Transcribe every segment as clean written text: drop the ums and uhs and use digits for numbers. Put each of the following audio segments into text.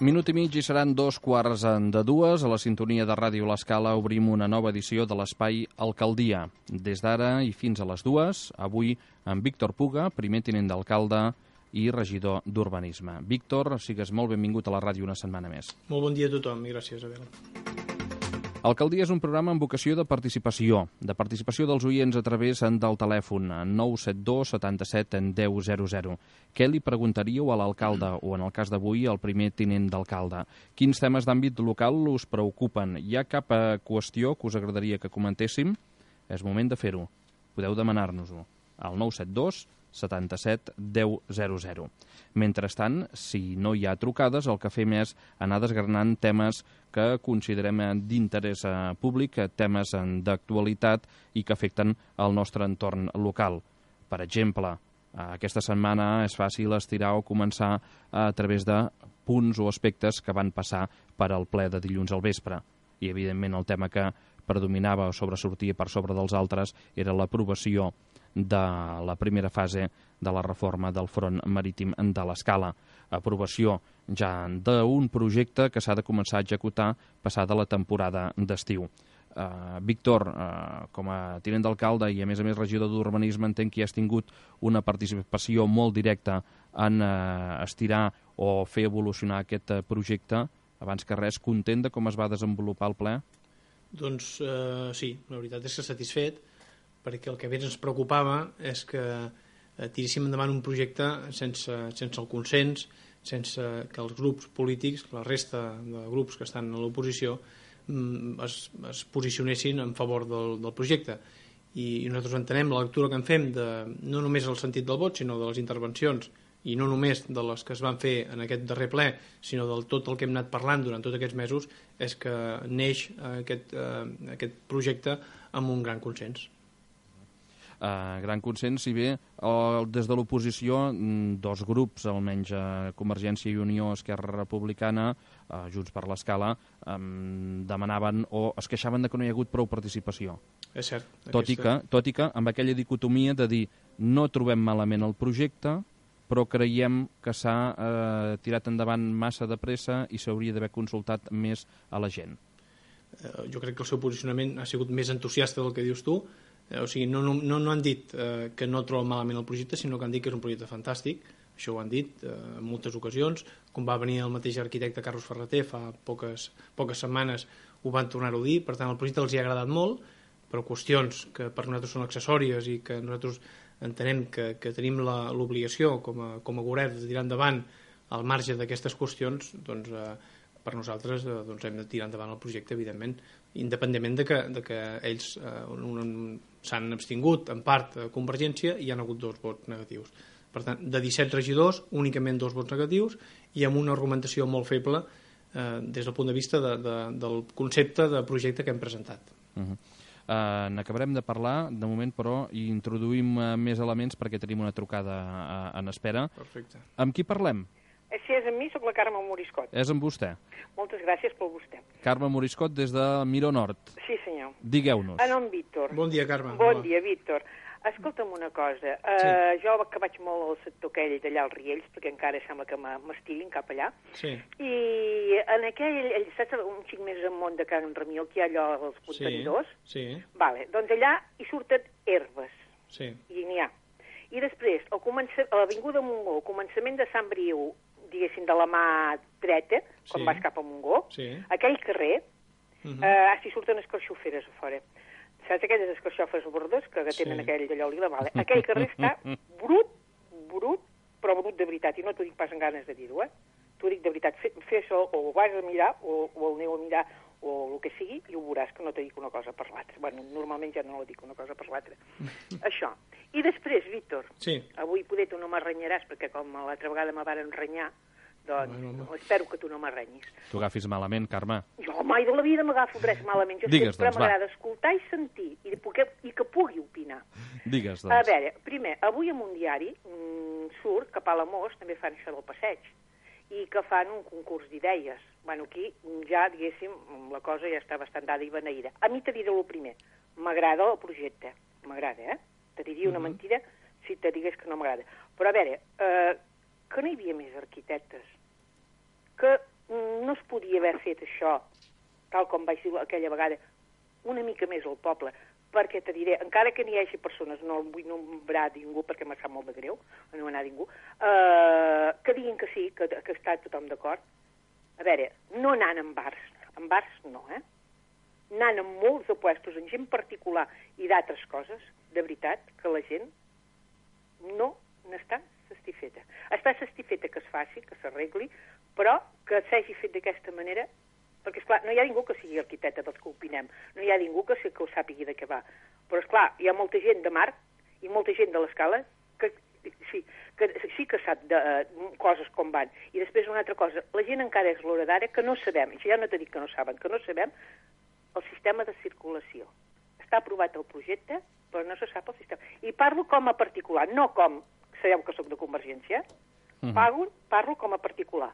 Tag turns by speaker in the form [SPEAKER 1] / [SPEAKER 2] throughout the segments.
[SPEAKER 1] Minut i mig i seran 2:15. A la sintonia de Ràdio L'Escala obrim una nova edició de l'espai Alcaldia. Des d'ara i fins a les 2, avui amb Víctor Puga, primer tinent d'alcalde i regidor d'Urbanisme. Víctor, sigues molt benvingut a la ràdio una setmana més.
[SPEAKER 2] Molt bon dia a tothom i gràcies, Abel.
[SPEAKER 1] Alcaldia és un programa amb vocació de participació dels oients a través del telèfon 972 77 10 00. Què li preguntaríeu a l'alcalde o, en el cas d'avui, al primer tinent d'alcalde? Quins temes d'àmbit local us preocupen? Hi ha cap qüestió que us agradaria que comentéssim? És moment de fer-ho. Podeu demanar-nos-ho al 972 77 10 00. Mentrestant, si no hi ha trucades, el que fem és anar desgranant temes que considerem d'interès públic, temes d'actualitat i que afecten el nostre entorn local. Per exemple, aquesta setmana és fàcil estirar o començar a través de punts o aspectes que van passar per al ple de dilluns al vespre. I, evidentment, el tema que predominava o sobresortia per sobre dels altres era l'aprovació de la primera fase de la reforma del front marítim de l'Escala. Aprovació ja d'un projecte que s'ha de començar a executar passada la temporada d'estiu. Víctor, com a tinent d'alcalde i a més regidor d'Urbanisme, entenc que hi has tingut una participació molt directa en estirar o fer evolucionar aquest projecte. Abans que res, content de com es va desenvolupar el ple?
[SPEAKER 2] Doncs sí, la veritat és que satisfet, perquè el que més ens preocupava és que tiréssim endavant un projecte sense el consens, sense que els grups polítics, la resta de grups que estan a l'oposició, es posicionessin en favor del projecte. I nosaltres entenem la lectura que en fem, no només el sentit del vot, sinó de les intervencions, i no només de les que es van fer en aquest darrer ple, sinó del tot el que hem anat parlant durant tots aquests mesos, és que neix aquest projecte amb un gran consens.
[SPEAKER 1] Gran consens, si bé des de l'oposició dos grups, almenys Convergència i Unió, Esquerra Republicana, Junts per l'Escala, demanaven o es queixaven de que no hi ha hagut prou participació.
[SPEAKER 2] És cert.
[SPEAKER 1] Tot i que amb aquella dicotomia de dir no trobem malament el projecte, però creiem que s'ha tirat endavant massa de pressa i s'hauria d'haver consultat més a la gent.
[SPEAKER 2] Jo crec que el seu posicionament ha sigut més entusiasta del que dius tu. O sigui, no han dit que no troben malament el projecte, sinó que han dit que és un projecte fantàstic. Això ho han dit en moltes ocasions. Com va venir el mateix arquitecte Carlos Ferreter fa poques setmanes, ho van tornar-ho a dir. Per tant, el projecte els hi ha agradat molt, però qüestions que per nosaltres són accessòries i que nosaltres entenem que tenim l'obligació com a govern de tirar endavant al marge d'aquestes qüestions, doncs per nosaltres hem de tirar endavant el projecte, evidentment, independentment de que ells s'han abstingut en part a Convergència i hi ha hagut 2 vots negatius. Per tant, de 17 regidors, únicament 2 vots negatius i amb una argumentació molt feble des del punt de vista del concepte de projecte que hem presentat.
[SPEAKER 1] N'acabarem de parlar, de moment, però hi introduïm més elements perquè tenim una trucada en espera.
[SPEAKER 2] Perfecte.
[SPEAKER 1] Amb qui parlem?
[SPEAKER 3] Si és amb mi, soc la Carme Moriscot.
[SPEAKER 1] És amb vostè.
[SPEAKER 3] Moltes gràcies per vostè.
[SPEAKER 2] Carme
[SPEAKER 1] Moriscot, des de Miró Nord.
[SPEAKER 3] Sí, senyor.
[SPEAKER 1] Digueu-nos.
[SPEAKER 3] En nom Víctor.
[SPEAKER 2] Bon dia, Carme.
[SPEAKER 3] Bon dia, Víctor. Escolta'm una cosa. Jo que vaig molt al sector aquell d'allà als Riells, perquè encara sembla que m'estiguin cap allà.
[SPEAKER 2] Sí.
[SPEAKER 3] I en aquell, saps, un xic més amunt de Can Ramió, que hi ha allò als contenidors?
[SPEAKER 2] Sí.
[SPEAKER 3] Vale, doncs allà hi surten herbes.
[SPEAKER 2] Sí.
[SPEAKER 3] I n'hi ha. I després, a l'Avinguda Montgó, al començament de Sant Briu, diguéssim, de la mà dreta, quan vas cap a Montgó, aquell carrer, s'hi surten escarxoferes a fora. Saps aquelles escarxofes verdes que tenen aquell d'allò lila? Vale. Aquell carrer està brut, però brut de veritat, i no t'ho dic pas amb ganes de dir-ho, t'ho dic de veritat. Fes-ho, o ho vas a mirar, o el aneu a mirar, o el que sigui, i ho veuràs que no te dic una cosa per l'altra. Bueno, normalment ja no la dic una cosa per l'altra. Això. I després, Víctor, avui poder tu no m'arrenyaràs, perquè com l'altra vegada me varen renyar, doncs espero que tu no m'arrenyis.
[SPEAKER 1] Tu agafis malament, Carme.
[SPEAKER 3] Jo mai de la vida m'agafo res malament. Jo sempre m'agrada escoltar i sentir, i que pugui opinar.
[SPEAKER 1] Digues, doncs.
[SPEAKER 3] A veure, primer, avui en un diari surt que a Palamós també fan això del passeig, i que fan un concurs d'idees. Bueno, aquí ja, diguéssim, la cosa ja està bastant dada i beneïda. A mi te diré el primer. M'agrada el projecte. M'agrada, Te diria una mentida si te digués que no m'agrada. Però a veure, que no hi havia més arquitectes, que no es podia haver fet això, tal com vaig dir aquella vegada, una mica més al poble, perquè te diré, encara que n'hi hagi persones, no vull nombrar ningú perquè m'ha sap molt de greu, no anar ningú, que diguin que sí, que està tothom d'acord. A veure, no anant en bars no, anant en molts de puestos, en gent particular i d'altres coses, de veritat, que la gent no n'està satisfeta. Està satisfeta que es faci, que s'arregli, però que s'hagi fet d'aquesta manera, perquè, esclar, no hi ha ningú que sigui arquitecte dels que opinem, no hi ha ningú que ho sàpigui de què va. Però, esclar, hi ha molta gent de mar i molta gent de l'escala que sí que sap de coses com van. I després una altra cosa, la gent encara és l'hora d'ara que no sabem, i ja no t'he dit que no saben, que no sabem el sistema de circulació. Està aprovat el projecte, però no se sap el sistema. I parlo com a particular, no com, sabeu que sóc de Convergència, parlo com a particular.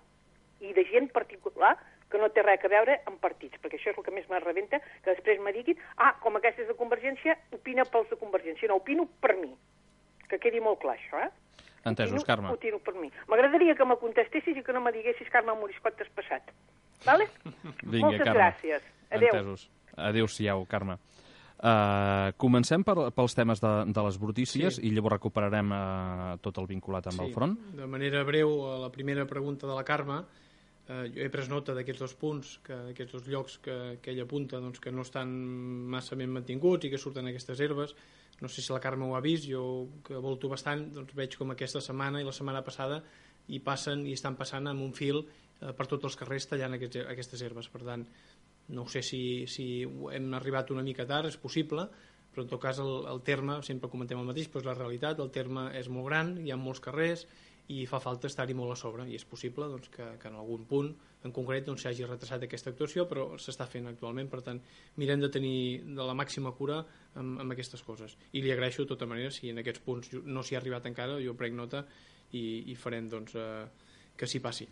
[SPEAKER 3] I de gent particular que no té res a veure amb partits, perquè això és el que més me rebenta, que després me diguin, com aquesta és de Convergència, opina pels de Convergència. No, opino per mi. Que quedi molt clar, això,
[SPEAKER 1] Entesos, Carme.
[SPEAKER 3] Opino per mi. M'agradaria que me contestessis i que no me diguessis, Carme Moriscot, t'has passat. Vale?
[SPEAKER 1] Vinga,
[SPEAKER 3] moltes
[SPEAKER 1] Carme.
[SPEAKER 3] gràcies. Adéu.
[SPEAKER 1] Entesos. Adéu-siau, Carme. Comencem per els temes de les brutícies i llavors recuperarem tot el vinculat amb el front.
[SPEAKER 2] De manera breu, a la primera pregunta de la Carme, jo he pres nota d'aquests dos punts, d'aquests dos llocs que ella apunta, doncs, que no estan massa ben mantinguts i que surten aquestes herbes. No sé si la Carme ho ha vist, jo que volto bastant, doncs veig com aquesta setmana i la setmana passada hi estan passant amb un fil per tots els carrers tallant aquestes herbes. Per tant, no sé si hem arribat una mica tard, és possible, però en tot cas el terme, sempre comentem el mateix, però és la realitat, el terme és molt gran, hi ha molts carrers i fa falta estar-hi molt a sobre, i és possible doncs, que en algun punt en concret s'hagi retrasat aquesta actuació, però s'està fent actualment. Per tant, mirem de tenir de la màxima cura amb aquestes coses, i li agraeixo de tota manera si en aquests punts no s'hi ha arribat encara, jo prenc nota i farem doncs, que s'hi passi.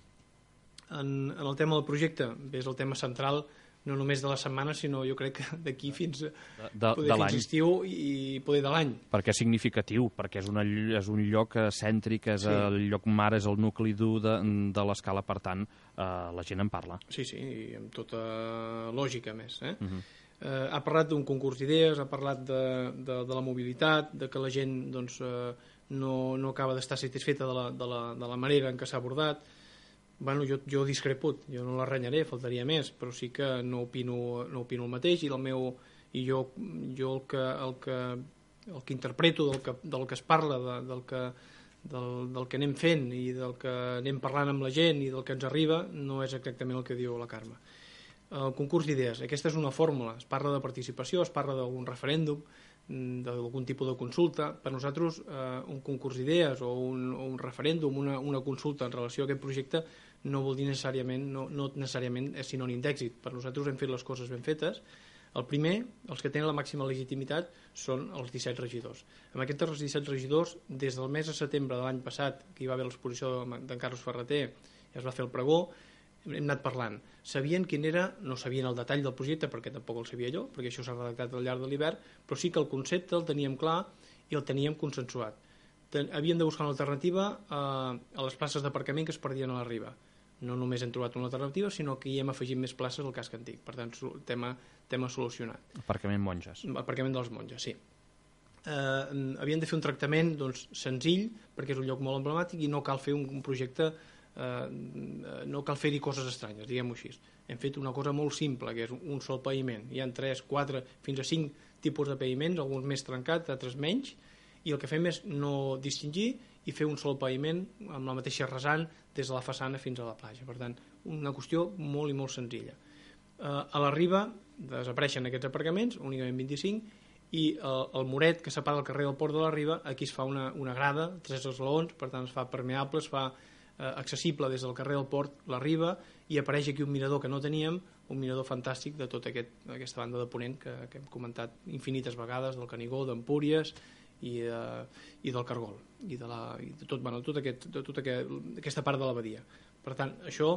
[SPEAKER 2] En el tema del projecte, és el tema central no només de la setmana, sinó jo crec que d'aquí fins fins estiu i poder de l'any.
[SPEAKER 1] Perquè és significatiu, perquè és un lloc cèntric, és el lloc mar, és el nucli dur de l'escala, per tant, la gent en parla.
[SPEAKER 2] Sí, i amb tota lògica, més. Ha parlat d'un concurs d'idees, ha parlat de la mobilitat, de que la gent doncs, no acaba d'estar satisfeta de la manera en què s'ha abordat. Bueno, jo discrepo, jo no la renyaré, faltaria més, però sí que no opino el mateix, i jo el que interpreto del que es parla, del que anem fent i del que anem parlant amb la gent i del que ens arriba, no és exactament el que diu la Carme. El concurs d'idees, aquesta és una fórmula, es parla de participació, es parla d'algun referèndum, d'algun tipus de consulta. Per nosaltres un concurs d'idees o un referèndum, una consulta en relació a aquest projecte no vol dir necessàriament, no necessàriament és sinònim d'èxit. Per nosaltres hem fet les coses ben fetes. El primer, els que tenen la màxima legitimitat, són els 17 regidors. Amb aquests 17 regidors, des del mes de setembre de l'any passat, que hi va haver l'exposició d'en Carlos Ferreter, i es va fer el pregó, hem anat parlant. Sabien quin era, no sabien el detall del projecte, perquè tampoc el sabia jo, perquè això s'ha redactat al llarg de l'hivern, però sí que el concepte el teníem clar i el teníem consensuat. Havien de buscar una alternativa a les places d'aparcament que es perdien a la riba. No només hem trobat una alternativa, sinó que hi hem afegit més places al casc antic. Per tant, tema solucionat.
[SPEAKER 1] Aparcament monges.
[SPEAKER 2] Aparcament dels monges, sí. Havien de fer un tractament doncs, senzill, perquè és un lloc molt emblemàtic i no cal fer un projecte, no cal fer-hi coses estranyes, diguem-ho així. Hem fet una cosa molt simple, que és un sol paviment. Hi ha 3, 4, fins a 5 tipus de paviments, alguns més trencats, altres menys, i el que fem és no distingir i fer un sol paviment amb la mateixa rasant des de la façana fins a la platja. Per tant, una qüestió molt i molt senzilla. A la riba desapareixen aquests aparcaments, únicament 25, i el muret que separa el carrer del Port de la Riba, aquí es fa una grada, 3 esglaons, per tant es fa permeable, es fa accessible des del carrer del Port, la riba, i apareix aquí un mirador que no teníem, un mirador fantàstic de tota aquesta banda de Ponent que hem comentat infinites vegades, del Canigó, d'Empúries i del Cargol i de tota aquesta part de la badia. Per tant, això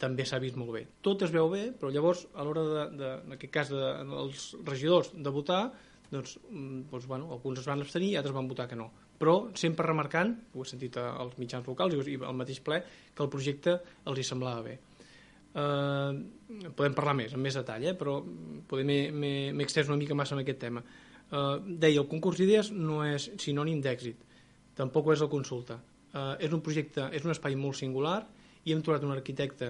[SPEAKER 2] també s'ha vist molt bé. Tot es veu bé, però llavors a l'hora en aquest cas dels regidors de votar, doncs, alguns es van abstenir i altres van votar que no, però sempre remarcant, ho he sentit als mitjans locals i al mateix ple, que el projecte els hi semblava bé. podem parlar més, amb més detall, però poder m'he extès una mica massa en aquest tema. Deia, el concurs d'idees no és sinònim d'èxit, tampoc ho és la consulta. És un projecte, és un espai molt singular i hem trobat un arquitecte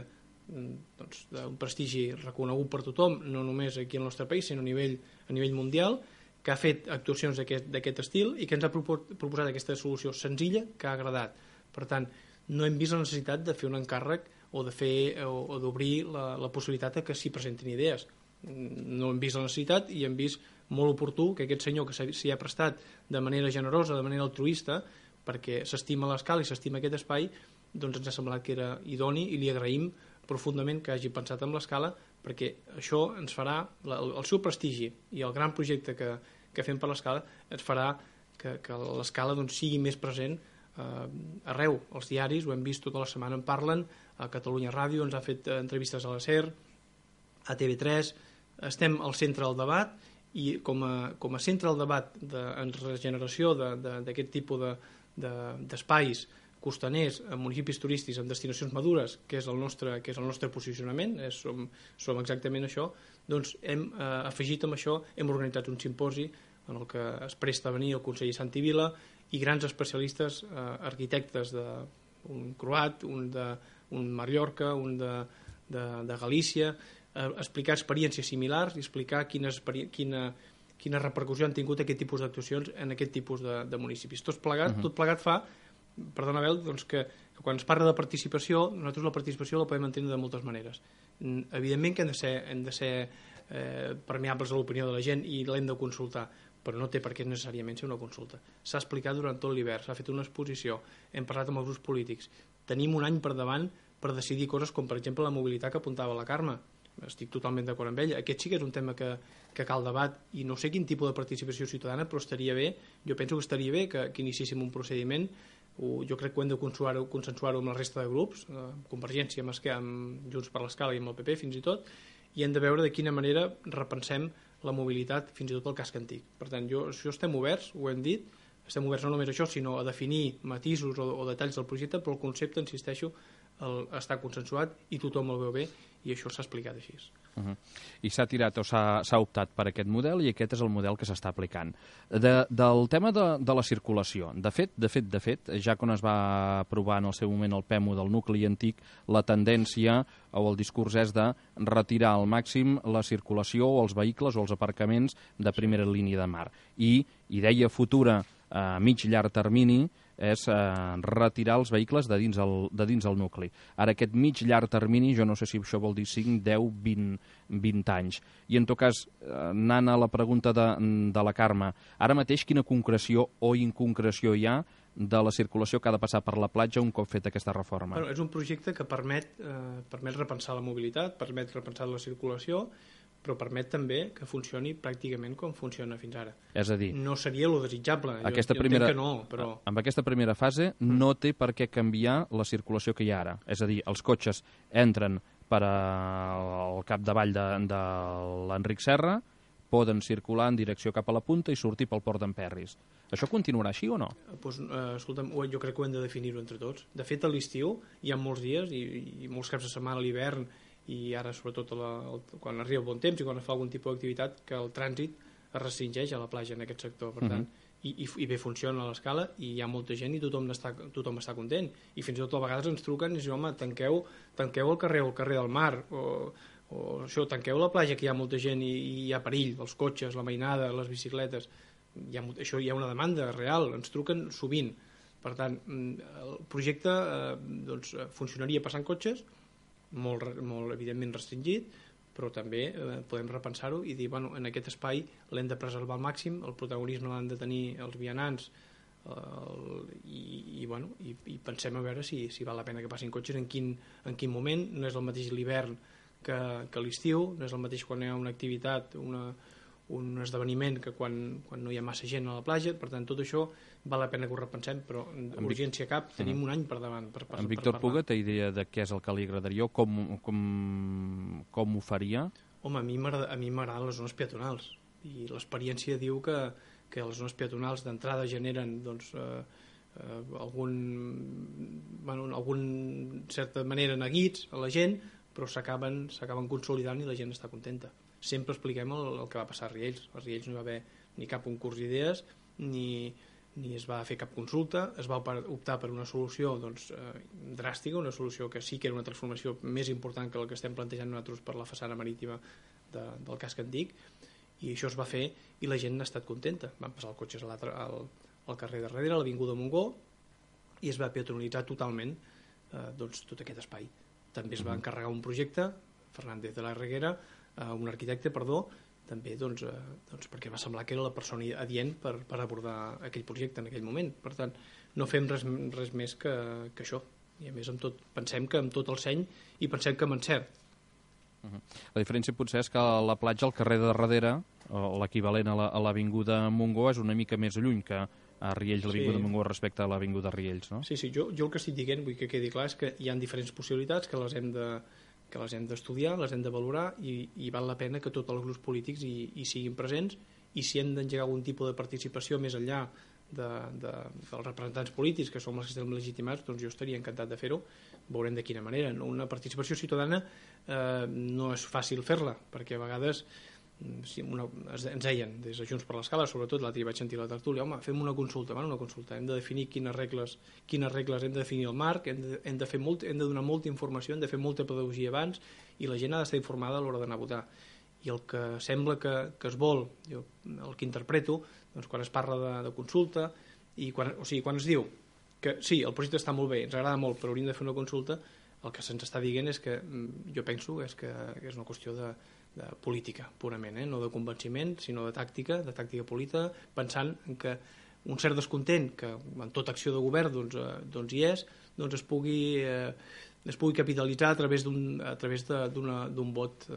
[SPEAKER 2] d'un prestigi reconegut per tothom, no només aquí al nostre país, sinó a nivell mundial, que ha fet actuacions d'aquest estil i que ens ha proposat aquesta solució senzilla que ha agradat. Per tant, no hem vist la necessitat de fer un encàrrec o d'obrir la possibilitat que s'hi presentin idees. No hem vist la necessitat i hem vist molt oportú que aquest senyor que s'hi ha prestat de manera generosa, de manera altruista, perquè s'estima l'Escala i s'estima aquest espai, doncs ens ha semblat que era idoni i li agraïm profundament que hagi pensat en l'Escala, perquè això ens farà, el seu prestigi i el gran projecte que fem per l'Escala ens farà que l'Escala sigui més present arreu. Els diaris, ho hem vist tota la setmana, en parlen, a Catalunya Ràdio ens ha fet entrevistes a la SER, a TV3, estem al centre del debat i com a centre del debat en regeneració d'aquest tipus d'espais costaners, en municipis turístics, en destinacions madures, que és el nostre posicionament, som exactament això, doncs hem afegit amb això, hem organitzat un simposi en el que es presta a venir el conseller Santi Vila i grans especialistes, arquitectes un croat, un Mallorca, un de Galícia, explicar experiències similars i explicar quina repercussió han tingut aquest tipus d'actuacions en aquest tipus de municipis. Tot plegat fa, perdona, Abel, doncs que quan es parla de participació, nosaltres la participació la podem entendre de moltes maneres. Evidentment que hem de ser permeables a l'opinió de la gent i l'hem de consultar, però no té per què necessàriament ser una consulta. S'ha explicat durant tot l'hivern, s'ha fet una exposició, hem parlat amb els grups polítics. Tenim un any per davant per decidir coses com, per exemple, la mobilitat que apuntava la Carme. Estic totalment d'acord amb ella. Aquest sí que és un tema que cal debat i no sé quin tipus de participació ciutadana, però estaria bé, jo penso que estaria bé que iniciéssim un procediment. Jo crec que ho hem de consensuar-ho amb la resta de grups, Convergència, amb Junts per l'Escala i amb el PP fins i tot, i hem de veure de quina manera repensem la mobilitat fins i tot al casc antic. Per tant, això estem oberts, ho hem dit, estem oberts no només a això, sinó a definir matisos o detalls del projecte, però el concepte, insisteixo, està consensuat i tothom el veu bé i això s'ha explicat així.
[SPEAKER 1] I s'ha tirat o s'ha optat per aquest model i aquest és el model que s'està aplicant. Del tema de la circulació, de fet, ja quan es va aprovar en el seu moment el PEMU del nucli antic, la tendència o el discurs és de retirar al màxim la circulació o els vehicles o els aparcaments de primera línia de mar. I idea futura a mig llarg termini és retirar els vehicles de dins el nucli. Ara, aquest mig llarg termini, jo no sé si això vol dir 5, 10, 20 anys. I, en tot cas, anant a la pregunta de la Carme, ara mateix quina concreció o inconcreció hi ha de la circulació que ha de passar per la platja un cop feta aquesta reforma?
[SPEAKER 2] És un projecte que permet repensar la mobilitat, permet repensar la circulació, però permet també que funcioni pràcticament com funciona fins ara.
[SPEAKER 1] És a dir,
[SPEAKER 2] no seria lo desitjable, jo entenc que no, però...
[SPEAKER 1] Amb aquesta primera fase no té per què canviar la circulació que hi ha ara. És a dir, els cotxes entren per al capdavall de l'Enric Serra, poden circular en direcció cap a la punta i sortir pel port d'Emperris. Això continuarà així o no?
[SPEAKER 2] Escolta'm, jo crec que ho hem de definir-ho entre tots. De fet, a l'estiu hi ha molts dies i molts caps de setmana a l'hivern i ara sobretot quan arriba el bon temps i quan es fa algun tipus d'activitat que el trànsit es restringeix a la platja en aquest sector, per tant, i bé funciona a l'escala i hi ha molta gent i tothom està content i fins i tot a vegades ens truquen i diuen, home, tanqueu el carrer del mar o això, tanqueu la platja que hi ha molta gent i hi ha perill, els cotxes, la mainada, les bicicletes, hi ha una demanda real, ens truquen sovint, per tant el projecte funcionaria passant cotxes molt evidentment restringit, però també podem repensar-ho i dir, en aquest espai l'hem de preservar al màxim, el protagonisme l'han de tenir els vianants i pensem a veure si val la pena que passin cotxes, en quin moment. No és el mateix l'hivern que l'estiu, no és el mateix quan hi ha una activitat, un esdeveniment que quan no hi ha massa gent a la platja, per tant tot això val la pena que ho repensem, però urgència cap, tenim un any per davant per
[SPEAKER 1] En Víctor Puga té idea de què és el que li agradaria o com ho faria?
[SPEAKER 2] Home, a mi m'agraden les zones peatonals i l'experiència diu que les zones peatonals d'entrada generen algun certa manera neguits a la gent, però s'acaben consolidant i la gent està contenta. Sempre expliquem el que va passar a Riells. A Riells no hi va haver ni cap concurs d'idees, ni es va fer cap consulta, es va optar per una solució dràstica, una solució que sí que era una transformació més important que la que estem plantejant nosaltres per la façana marítima del casc antic, i això es va fer i la gent ha estat contenta. Van passar els cotxes al carrer de darrere, a l'Avinguda Montgó, i es va peatonalitzar totalment tot aquest espai. També es va encarregar un projecte, Fernández de la Reguera, un arquitecte, també perquè va semblar que era la persona adient per abordar aquell projecte en aquell moment. Per tant, no fem res més que això. I a més pensem que amb tot el seny i pensem que amb encert.
[SPEAKER 1] La diferència potser és que la platja al carrer de darrere, o l'equivalent a l'Avinguda Montgó, és una mica més lluny que a Riells, l'Avinguda Montgó respecte a l'Avinguda Riells, no? Sí,
[SPEAKER 2] jo el que estic dient, vull que quedi clar, és que hi ha diferents possibilitats que les hem d'estudiar, les hem de valorar, i val la pena que tots els grups polítics hi siguin presents, i si hem d'engegar algun tipus de participació més enllà dels representants polítics, que som els que estem legitimats, doncs jo estaria encantat de fer-ho. Veurem de quina manera. Una participació ciutadana no és fàcil fer-la, perquè a vegades ens deien des de Junts per l'Escala, sobretot l'altre vaig sentir la tertúlia, home, fem una consulta, hem de definir quines regles hem de definir el marc, hem de donar molta informació, hem de fer molta pedagogia abans, i la gent ha d'estar informada a l'hora d'anar a votar. I el que sembla que es vol, el que interpreto, quan es parla de consulta, quan es diu que sí, el projecte està molt bé, ens agrada molt, però hauríem de fer una consulta, el que se'ns està dient és que, jo penso, és que és una qüestió de política, purament, no de convenciment, sinó de tàctica política, pensant que un cert descontent, que en tota acció de govern hi és, es pugui capitalitzar a través d'un vot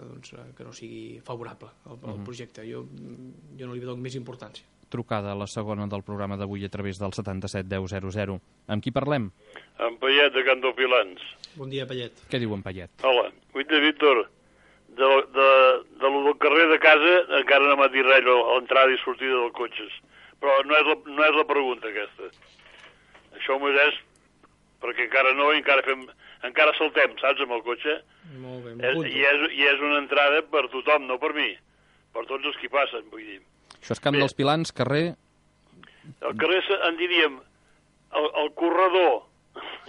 [SPEAKER 2] que no sigui favorable al projecte. Jo no li dono més importància.
[SPEAKER 1] Trucada la segona del programa d'avui a través del 77 10 00. Amb qui parlem?
[SPEAKER 4] Amb Payet, de Cantopilans.
[SPEAKER 2] Bon dia, Payet.
[SPEAKER 1] Què diu en Payet?
[SPEAKER 4] Hola, de Víctor, de lo del carrer de casa encara no m'ha dit res a l'entrada i sortida dels cotxes, però no és la pregunta aquesta. Això m'ho és perquè encara saltem, saps, amb el cotxe.
[SPEAKER 2] Molt bé, m'apunto.
[SPEAKER 4] I és una entrada per tothom, no per mi, per tots els que hi passen, vull dir.
[SPEAKER 1] Això és Camp dels Pilans, carrer...
[SPEAKER 4] El carrer, en diríem, el corredor,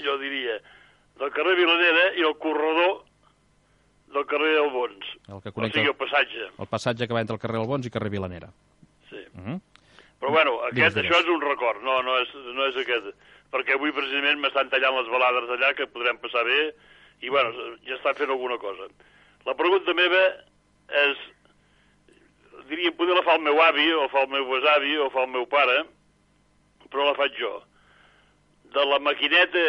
[SPEAKER 4] jo diria, del carrer Vilanera i el corredor del carrer Albons.
[SPEAKER 1] El que connecta...
[SPEAKER 4] O sigui, el passatge.
[SPEAKER 1] El passatge que va entre el carrer Albons i carrer Vilanera.
[SPEAKER 4] Sí. Però bueno, això és un record, no és aquest. Perquè avui precisament m'estan tallant les balades allà, que podrem passar bé, i bueno, ja estan fent alguna cosa. La pregunta meva és, diria, poder la fa el meu avi, o fa el meu besavi, o fa el meu pare, però la faig jo. De la maquineta,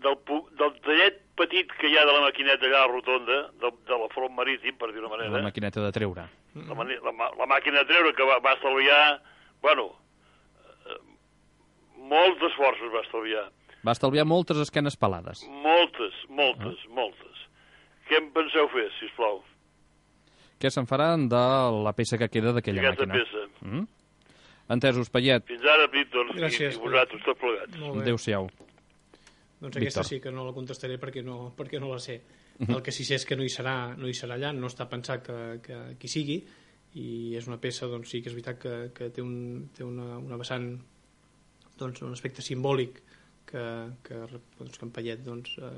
[SPEAKER 4] del tallet petit que hi ha de la maquineta allà a la rotonda, de la front marítim, per dir-ho manera.
[SPEAKER 1] La maquineta de treure.
[SPEAKER 4] La màquina de treure, que va estalviar, bueno, molts esforços va estalviar.
[SPEAKER 1] Va estalviar moltes esquenes pelades.
[SPEAKER 4] Moltes. Què en penseu fer, sisplau?
[SPEAKER 1] Què se'n farà de la peça que queda d'aquella màquina?
[SPEAKER 4] Aquesta peça.
[SPEAKER 1] Entesos, Payet.
[SPEAKER 4] Fins ara, Víctor.
[SPEAKER 2] Gràcies.
[SPEAKER 4] I vosaltres, tots plegats.
[SPEAKER 1] Adéu-siau.
[SPEAKER 2] Doncs aquesta sí que no la contestaré perquè no la sé. El que sí sé és que no hi serà allà, no està pensat que hi sigui, i és una peça, doncs sí que és veritat que té una vessant, doncs un aspecte simbòlic que en Payet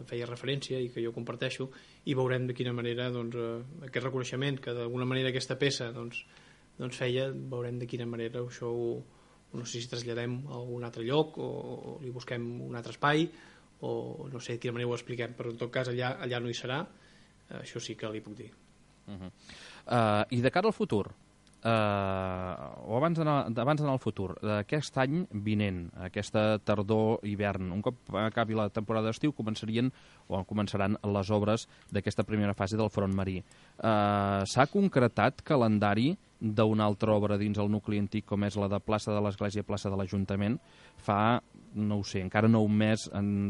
[SPEAKER 2] feia referència i que jo comparteixo, i veurem de quina manera aquest reconeixement que d'alguna manera aquesta peça feia, veurem de quina manera això no sé si traslladem a algun altre lloc o li busquem un altre espai, o no sé de quina manera ho expliquem, però en tot cas allà no hi serà, això sí que li puc dir.
[SPEAKER 1] I de cara al futur, o abans d'anar al futur, d'aquest any vinent, aquesta tardor-hivern, un cop acabi la temporada d'estiu, començaran les obres d'aquesta primera fase del front marí. S'ha concretat calendari d'una altra obra dins el nucli antic, com és la de plaça de l'Església, plaça de l'Ajuntament? Fa, no ho sé, encara no un mes,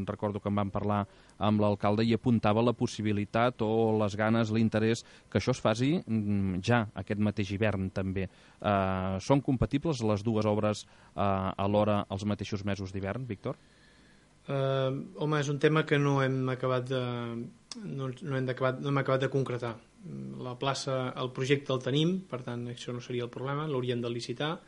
[SPEAKER 1] recordo que en vam parlar amb l'alcalde i apuntava la possibilitat o les ganes, l'interès que això es faci ja aquest mateix hivern també. Són compatibles les dues obres alhora als mateixos mesos d'hivern, Víctor?
[SPEAKER 2] Home, és un tema que no hem acabat de concretar. La plaça, el projecte el tenim, per tant això no seria el problema, l'hauríem de licitar,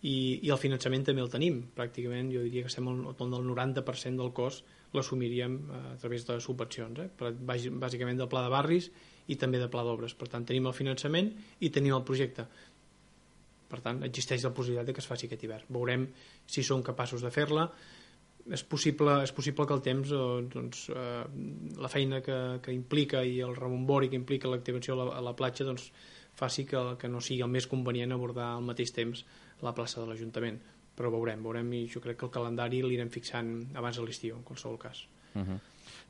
[SPEAKER 2] i el finançament també el tenim. Pràcticament jo diria que estem al 90% del cost l'assumiríem a través de subvencions, bàsicament del pla de barris i també de pla d'obres. Per tant, tenim el finançament i tenim el projecte. Per tant, existeix la possibilitat que es faci aquest hivern. Veurem si som capaços de fer-la. És possible que el temps, la feina que implica i el rebombori que implica l'activació a la platja faci que no sigui el més convenient abordar al mateix temps la plaça de l'Ajuntament. Però veurem, i jo crec que el calendari l'irem fixant abans de l'estiu, en qualsevol cas.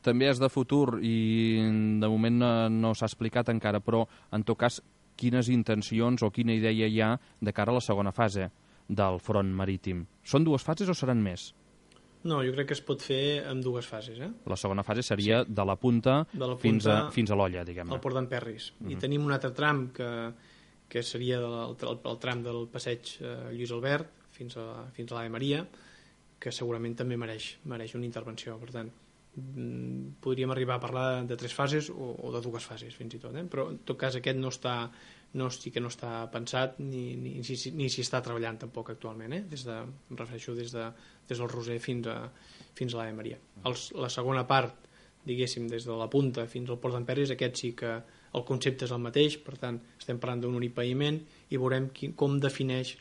[SPEAKER 1] També és de futur i de moment no s'ha explicat encara, però en tot cas quines intencions o quina idea hi ha de cara a la segona fase del front marítim? Són 2 fases o seran més?
[SPEAKER 2] No, jo crec que es pot fer en 2 fases. La
[SPEAKER 1] segona fase seria de la punta fins a l'olla, diguem-ne.
[SPEAKER 2] Al Port d'en Perris. I tenim un altre tram que seria el tram del passeig Lluís Albert fins a l'Ave Maria, que segurament també mereix una intervenció. Per tant, podríem arribar a parlar de 3 fases o de 2 fases, fins i tot. Però, en tot cas, aquest no està pensat ni s'hi està treballant tampoc actualment, em refereixo des del Roser fins a l'Ave Maria. La segona part, diguéssim, des de la punta fins al Port d'en Perris, aquest sí que el concepte és el mateix, per tant estem parlant d'un únic paviment i veurem com defineix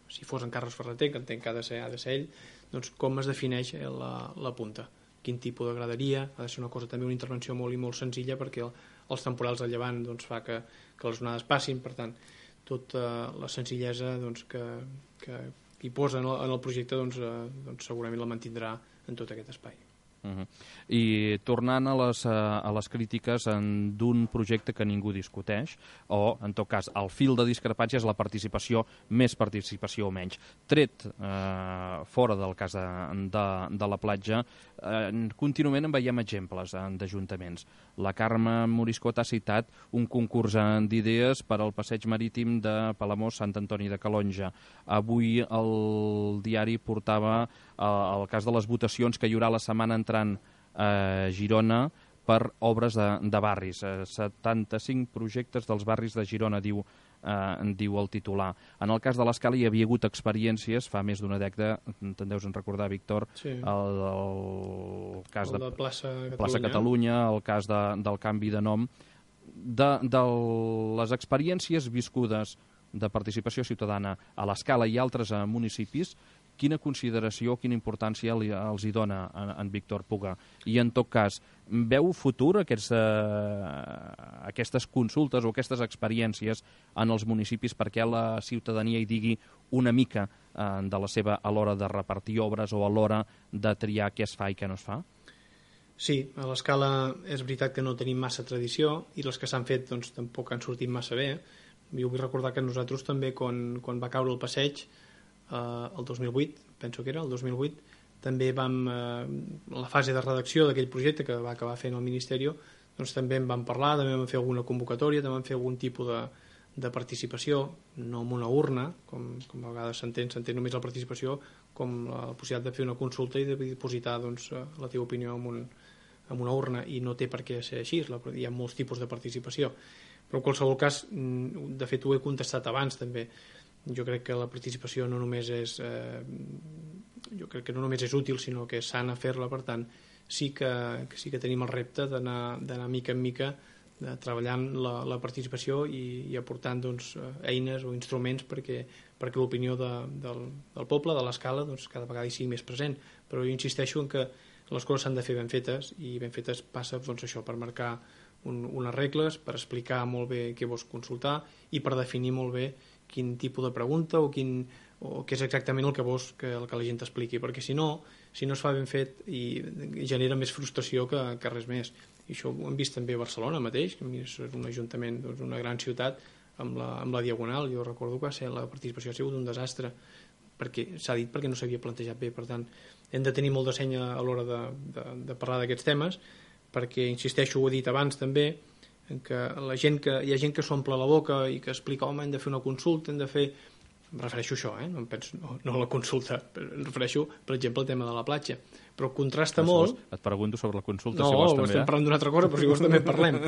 [SPEAKER 2] si fos en Carles Ferreter, que entenc que ha de ser ell, doncs com es defineix la punta, quin tipus de graderia. Ha de ser una cosa també, una intervenció molt senzilla, perquè els temporals de llevant fa que les onades passin. Per tant, tota la senzillesa que hi posa en el projecte segurament la mantindrà en tot aquest espai.
[SPEAKER 1] I tornant a les crítiques d'un projecte que ningú discuteix, o en tot cas el fil de discrepància és la participació, més participació o menys. Tret fora del cas de la platja, contínuament en veiem exemples d'ajuntaments. La Carme Moriscot ha citat un concurs d'idees per al passeig marítim de Palamós, Sant Antoni de Calonja. Avui el diari portava el cas de les votacions que hi haurà la setmana entrant a Girona per obres de barris. 75 projectes dels barris de Girona, diu el titular. En el cas de l'Escala hi havia hagut experiències fa més d'una dècada, te'n deus recordar, Víctor, el cas de Plaça Catalunya, el cas del canvi de nom, de les experiències viscudes de participació ciutadana a l'Escala i altres municipis. Quina consideració, quina importància els hi dona en Víctor Puga? I en tot cas, veu futur aquestes consultes o aquestes experiències en els municipis perquè la ciutadania hi digui una mica de la seva a l'hora de repartir obres o a l'hora de triar què es fa i què no es fa?
[SPEAKER 2] Sí, a l'Escala és veritat que no tenim massa tradició i les que s'han fet tampoc han sortit massa bé. Jo vull recordar que nosaltres també, quan va caure el passeig, el 2008, penso que era el 2008, també vam, la fase de redacció d'aquell projecte que va acabar fent el Ministeri, també en vam parlar, també vam fer alguna convocatòria, també vam fer algun tipus de participació, no amb una urna, com a vegades s'entén només la participació, com la possibilitat de fer una consulta i de dipositar la teva opinió en una urna, i no té per què ser així, hi ha molts tipus de participació. Però en qualsevol cas, de fet ho he contestat abans també, jo crec que la participació no només és útil, sinó que és sana fer-la. Per tant, sí que tenim el repte d'anar mica en mica treballant la participació i aportant eines o instruments perquè l'opinió del poble, de l'Escala, cada vegada hi sigui més present. Però jo insisteixo en que les coses s'han de fer ben fetes, i ben fetes passa això, per marcar unes regles, per explicar molt bé què vols consultar i per definir molt bé quin tipus de pregunta o què és exactament el que vols que la gent t'expliqui, perquè si no es fa ben fet i genera més frustració que res més. I això ho hem vist també a Barcelona mateix, que és un ajuntament, una gran ciutat, amb la Diagonal. Jo recordo que la participació ha sigut un desastre, perquè s'ha dit perquè no s'havia plantejat bé. Per tant, hem de tenir molt de seny a l'hora de parlar d'aquests temes, perquè, insisteixo, ho he dit abans també, en que hi ha gent que s'omple la boca i que explica, home, hem de fer una consulta, hem de fer... em refereixo a això, no a la consulta, em refereixo, per exemple, al tema de la platja. Però contrasta molt...
[SPEAKER 1] Et pregunto sobre la consulta,
[SPEAKER 2] si
[SPEAKER 1] vols també.
[SPEAKER 2] No, estem parlant d'una altra cosa, però si vols també parlem.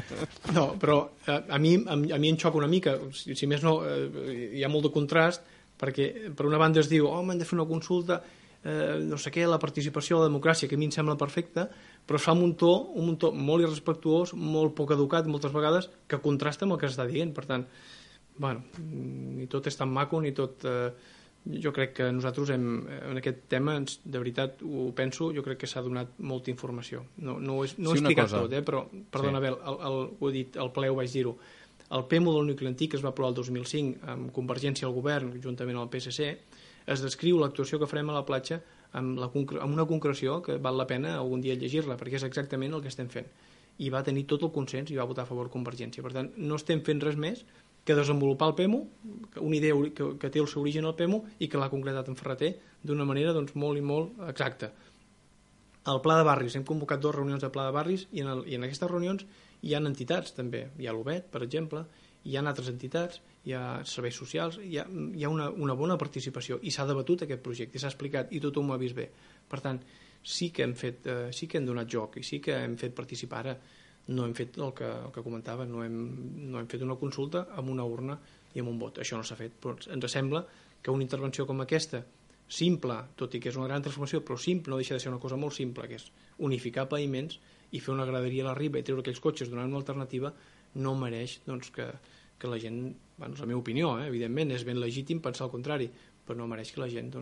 [SPEAKER 2] No, però a mi em xoca una mica, si més no, hi ha molt de contrast, perquè per una banda es diu, hem de fer una consulta, no sé què, la participació, la democràcia, que a mi em sembla perfecta, però es fa un to molt irrespectuós, molt poc educat, moltes vegades, que contrasta amb el que s'està dient. Per tant, bueno, ni tot és tan maco, ni tot... Jo crec que nosaltres en aquest tema, de veritat, ho penso, jo crec que s'ha donat molta informació. No ho he explicat tot, però, perdona, Abel, ho he dit, al ple ho vaig dir-ho. El PEMO del nucli antic, que es va aprovar el 2005 amb Convergència al govern, juntament amb el PSC, es descriu l'actuació que farem a la platja amb una concreció que val la pena algun dia llegir-la, perquè és exactament el que estem fent. I va tenir tot el consens i va votar a favor Convergència. Per tant, no estem fent res més que desenvolupar el PEMO, una idea que té el seu origen al PEMO i que l'ha concretat en Ferreter d'una manera molt i molt exacta. El Pla de Barris, hem convocat 2 reunions de Pla de Barris i en aquestes reunions hi ha entitats també, hi ha l'UBET, per exemple, hi ha altres entitats, hi ha serveis socials, hi ha una bona participació i s'ha debatut aquest projecte, s'ha explicat i tothom ho ha vist bé. Per tant, sí que hem donat joc i sí que hem fet participar. Ara no hem fet el que comentava, no hem fet una consulta amb una urna i amb un vot. Això no s'ha fet, però ens sembla que una intervenció com aquesta, simple, tot i que és una gran transformació, però simple, no deixa de ser una cosa molt simple, que és unificar paviments i fer una graderia a la riba i treure aquells cotxes donant una alternativa, no mereix que la gent, és la meva opinió, evidentment, és ben legítim pensar el contrari, però no mereix que la gent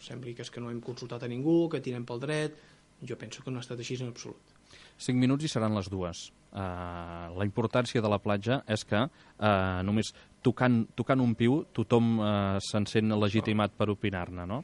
[SPEAKER 2] sembli que és que no hem consultat a ningú, que tirem pel dret. Jo penso que no ha estat així en absolut.
[SPEAKER 1] 5 minuts i seran les 2. La importància de la platja és que només tocant un piu tothom se'n sent legitimat per opinar-ne, no?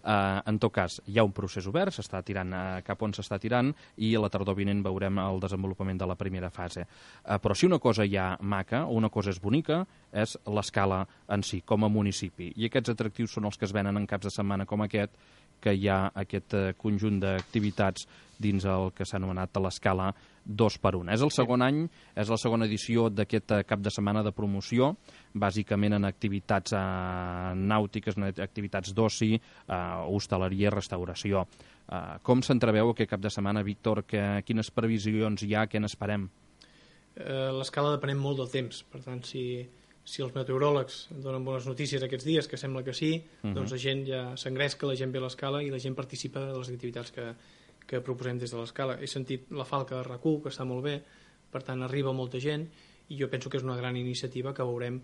[SPEAKER 1] En tot cas, hi ha un procés obert, s'està tirant cap on s'està tirant i a la tardor vinent veurem el desenvolupament de la primera fase. Però si una cosa ja maca, o una cosa és bonica, és l'escala en si, com a municipi. I aquests atractius són els que es venen en caps de setmana com aquest, que hi ha aquest conjunt d'activitats dins el que s'ha anomenat l'escala 2x1. És el segon any, és la segona edició d'aquest cap de setmana de promoció, bàsicament en activitats nàutiques, en activitats d'oci, hostaleria i restauració. Com s'entreveu aquest cap de setmana, Víctor? Quines previsions hi ha? Què n'esperem?
[SPEAKER 2] L'escala depenem molt del temps, per tant, si els meteoròlegs donen bones notícies aquests dies, que sembla que sí, doncs la gent ja s'engresca, la gent ve a l'escala i la gent participa de les activitats que proposem des de l'escala. He sentit la falca de RAC1, que està molt bé, per tant arriba molta gent i jo penso que és una gran iniciativa que veurem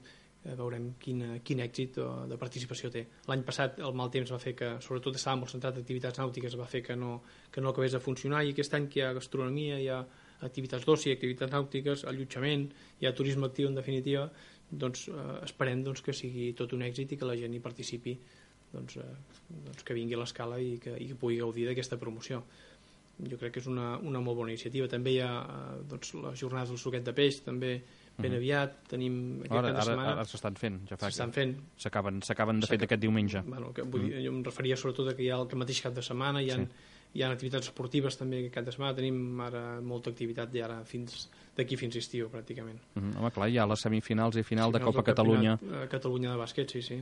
[SPEAKER 2] quin èxit de participació té. L'any passat el mal temps va fer que, sobretot estava molt centrat en activitats nàutiques, va fer que no acabés de funcionar, i aquest any que hi ha gastronomia, hi ha activitats d'oci, activitats nàutiques, allotjament, hi ha turisme actiu en definitiva, doncs esperem que sigui tot un èxit i que la gent hi participi, que vingui a l'escala i que pugui gaudir d'aquesta promoció. Jo crec que és una molt bona iniciativa. També hi ha les jornades del suquet de peix, també ben aviat, tenim aquest cap de setmana.
[SPEAKER 1] Ara s'estan fent, ja fa
[SPEAKER 2] s'estan fent.
[SPEAKER 1] S'acaben de fet aquest diumenge.
[SPEAKER 2] Jo em referia sobretot que hi ha el mateix cap de setmana, hi ha activitats esportives també aquest cap de setmana, tenim ara molta activitat d'aquí fins estiu pràcticament.
[SPEAKER 1] Home, clar, hi ha les semifinals i final de Copa Catalunya.
[SPEAKER 2] Catalunya de bàsquet, sí.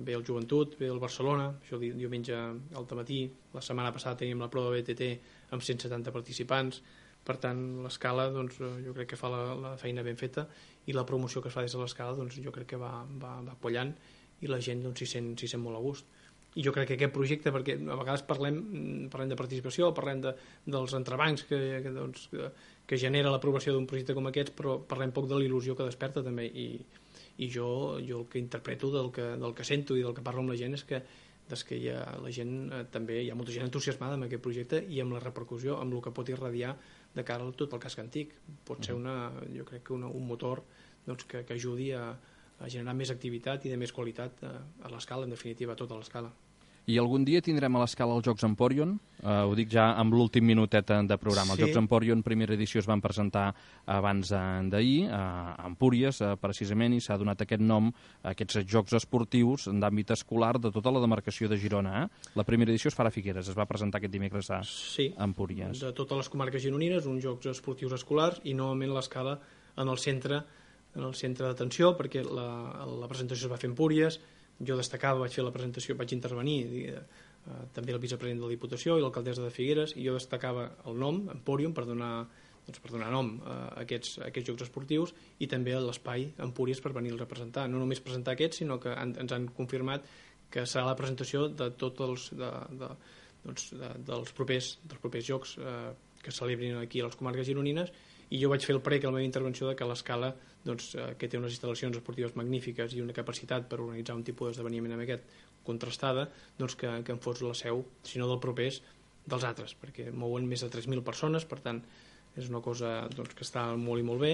[SPEAKER 2] Ve el Joventut, ve el Barcelona, això diumenge al matí. La setmana passada teníem la prova de BTT amb 170 participants. Per tant, l'escala jo crec que fa la feina ben feta i la promoció que es fa des de l'escala jo crec que va quallant i la gent s'hi sent molt a gust. I jo crec que aquest projecte, perquè a vegades parlem de participació, parlem dels entrebancs que genera l'aprovació d'un projecte com aquest, però parlem poc de la il·lusió que desperta també, i jo el que interpreto del que sento i del que parlo amb la gent és que la gent també, hi ha molta gent entusiasmada amb aquest projecte i amb la repercussió, amb el que pot irradiar de cara a tot el casc antic. Pot ser jo crec que un motor que ajudi a generar més activitat i de més qualitat a l'escala, en definitiva, a tota l'escala.
[SPEAKER 1] I algun dia tindrem a l'escala els Jocs Emporion? Ho dic ja amb l'últim minutet de programa. Els Jocs Emporion, primera edició, es van presentar abans d'ahir, a Empúries, precisament, i s'ha donat aquest nom a aquests Jocs Esportius d'àmbit escolar de tota la demarcació de Girona. La primera edició es farà a Figueres, es va presentar aquest dimecres a Empúries.
[SPEAKER 2] De totes les comarques gironines, uns Jocs Esportius escolars, i novament l'escala en el centre en el centre d'atenció, perquè la presentació es va fer a Empúries, jo destacava, vaig fer la presentació, vaig intervenir, també el vicepresident de la Diputació i l'alcaldessa de Figueres, i jo destacava el nom, Empúrium, per donar nom a aquests jocs esportius, i també l'espai Empúries per venir a representar. No només presentar aquests, sinó que ens han confirmat que serà la presentació de tots dels propers jocs que celebrin aquí a les comarques gironines, i jo vaig fer el prec a la meva intervenció de que l'Escala, que té unes instal·lacions esportives magnífiques i una capacitat per organitzar un tipus d'esdeveniment amb aquest contrastada, que en fos la seu, si no del propers, dels altres, perquè mouen més de 3.000 persones, per tant és una cosa que està molt i molt bé,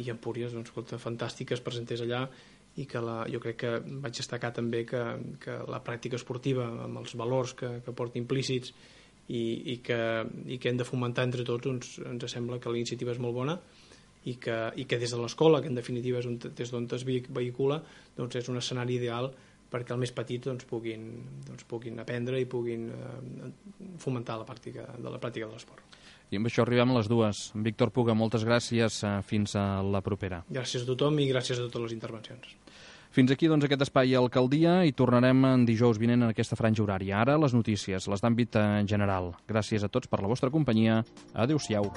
[SPEAKER 2] i Empúries, fantàstic que es presentés allà, i que jo crec que vaig destacar també que la pràctica esportiva, amb els valors que porta implícits i que hem de fomentar entre tots, ens sembla que la iniciativa és molt bona, i que des de l'escola, que en definitiva és des d'on es vehicula, és un escenari ideal perquè els més petits puguin aprendre i puguin fomentar la pràctica de l'esport.
[SPEAKER 1] I amb això arribem a les 2. Víctor Puga, moltes gràcies. Fins a la propera.
[SPEAKER 2] Gràcies a tothom i gràcies a totes les intervencions.
[SPEAKER 1] Fins aquí aquest espai a Alcaldia, i tornarem en dijous vinent en aquesta franja horària. Ara les notícies, les d'àmbit general. Gràcies a tots per la vostra companyia. Adéu-siau.